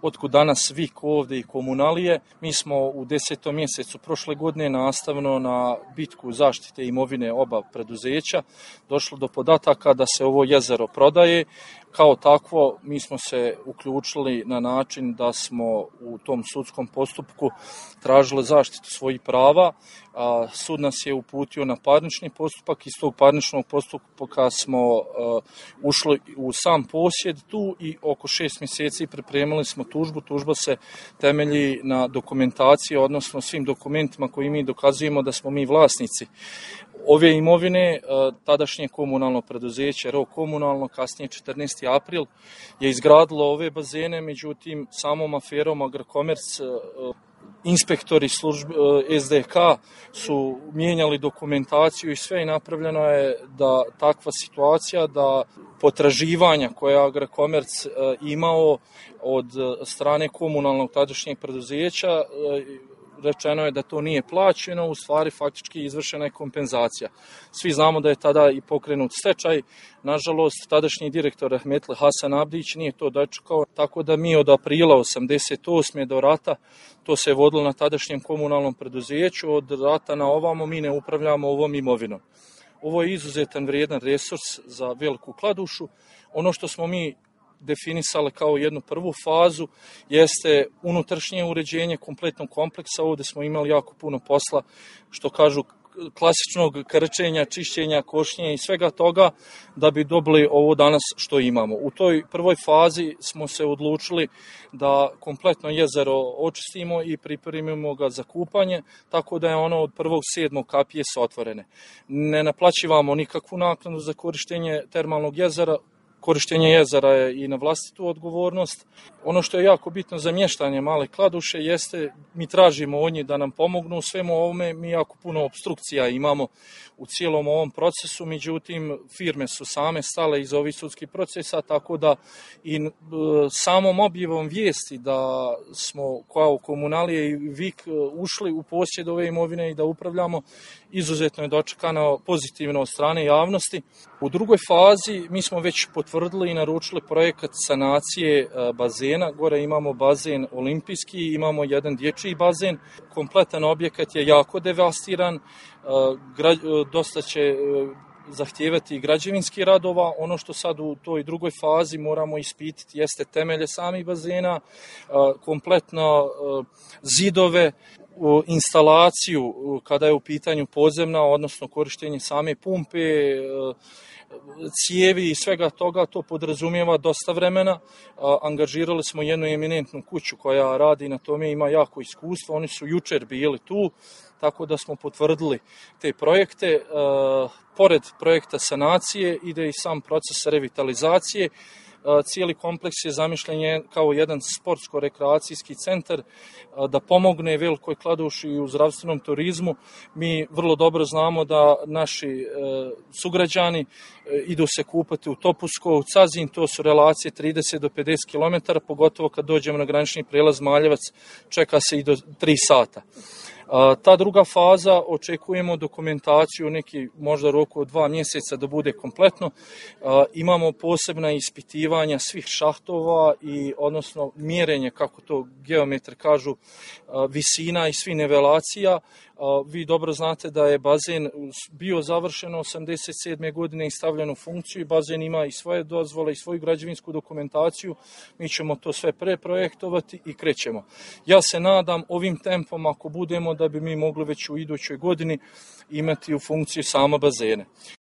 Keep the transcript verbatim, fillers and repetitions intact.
otkud danas vik ovdje i komunalije. Mi smo u desetom mjesecu prošle godine nastavno na bitku zaštite imovine oba preduzeća došlo do podataka da se ovo jezero prodaje. Kao takvo, mi smo se uključili na način da smo u tom sudskom postupku tražili zaštitu svojih prava. A sud nas je uputio na parnični postupak. Iz tog parničnog postupka smo uh, ušli u sam posjed tu i oko šest mjeseci pripremili smo tužbu. Tužba se temelji na dokumentaciji, odnosno svim dokumentima koji mi dokazujemo da smo mi vlasnici ove imovine. Tadašnje komunalno preduzeće, Ro Komunalno, kasnije četrnaesti april, je izgradilo ove bazene, međutim samom aferom Agrokomerc inspektori službe S D K su mijenjali dokumentaciju i sve i napravljeno je da takva situacija da potraživanja koje je Agrokomerc imao od strane komunalnog tadašnjeg preduzeća, rečeno je da to nije plaćeno, u stvari faktički izvršena je kompenzacija. Svi znamo da je tada i pokrenut stečaj, nažalost tadašnji direktor rahmetli Hasan Abdić nije to dočekao, tako da mi od aprila osamdeset osme do rata to se je vodilo na tadašnjem komunalnom preduzeću, od rata na ovamo mi ne upravljamo ovom imovinom. Ovo je izuzetan vrijedan resurs za Veliku Kladušu. Ono što smo mi definisali kao jednu prvu fazu jeste unutrašnje uređenje kompletnog kompleksa. Ovdje smo imali jako puno posla, što kažu klasičnog krčenja, čišćenja, košnje i svega toga da bi dobili ovo danas što imamo. U toj prvoj fazi smo se odlučili da kompletno jezero očistimo i pripremimo ga za kupanje, tako da je ono od prvog sedmog kapije su otvorene. Ne naplaćivamo nikakvu naknadu za korištenje termalnog jezera. Korištenje jezera je i na vlastitu odgovornost. Ono što je jako bitno za mještanje Male Kladuše jeste, mi tražimo od njih da nam pomognu u svemu ovome, mi jako puno opstrukcija imamo u cijelom ovom procesu, međutim firme su same stale iz ovih sudskih procesa, tako da i e, samom objavom vijesti da smo kao komunalije i vik ušli u posjed ove imovine i da upravljamo, izuzetno je dočekano pozitivno od strane javnosti. U drugoj fazi mi smo već potvrdili i naručili projekat sanacije bazena. Gore imamo bazen olimpijski, imamo jedan dječji bazen. Kompletan objekat je jako devastiran, dosta će zahtijevati građevinski radova. Ono što sad u toj drugoj fazi moramo ispititi jeste temelje samih bazena, kompletno zidove, instalaciju kada je u pitanju podzemna, odnosno korištenje same pumpe, cijevi i svega toga. To podrazumijeva dosta vremena. Angažirali smo jednu eminentnu kuću koja radi na tome, ima jako iskustvo. Oni su jučer bili tu, tako da smo potvrdili te projekte. Pored projekta sanacije ide i sam proces revitalizacije. Cijeli kompleks je zamišljen kao jedan sportsko-rekreacijski centar da pomogne Velikoj Kladuši u zdravstvenom turizmu. Mi vrlo dobro znamo da naši sugrađani idu se kupati u Topusko, u Cazin, to su relacije trideset do pedeset kilometara, pogotovo kad dođemo na granični prijelaz Maljevac, čeka se i do tri sata. Ta druga faza, očekujemo dokumentaciju neki možda roku od dva mjeseca da bude kompletno. Imamo posebna ispitivanja svih šahtova i odnosno mjerenje, kako to geometri kažu, visina i svih nivelacija. Vi dobro znate da je bazen bio završen osamdeset sedme godine i stavljen u funkciju i bazen ima i svoje dozvole i svoju građevinsku dokumentaciju. Mi ćemo to sve preprojektovati i krećemo. Ja se nadam ovim tempom, ako budemo, da bi mi mogli već u idućoj godini imati u funkciji sama bazene.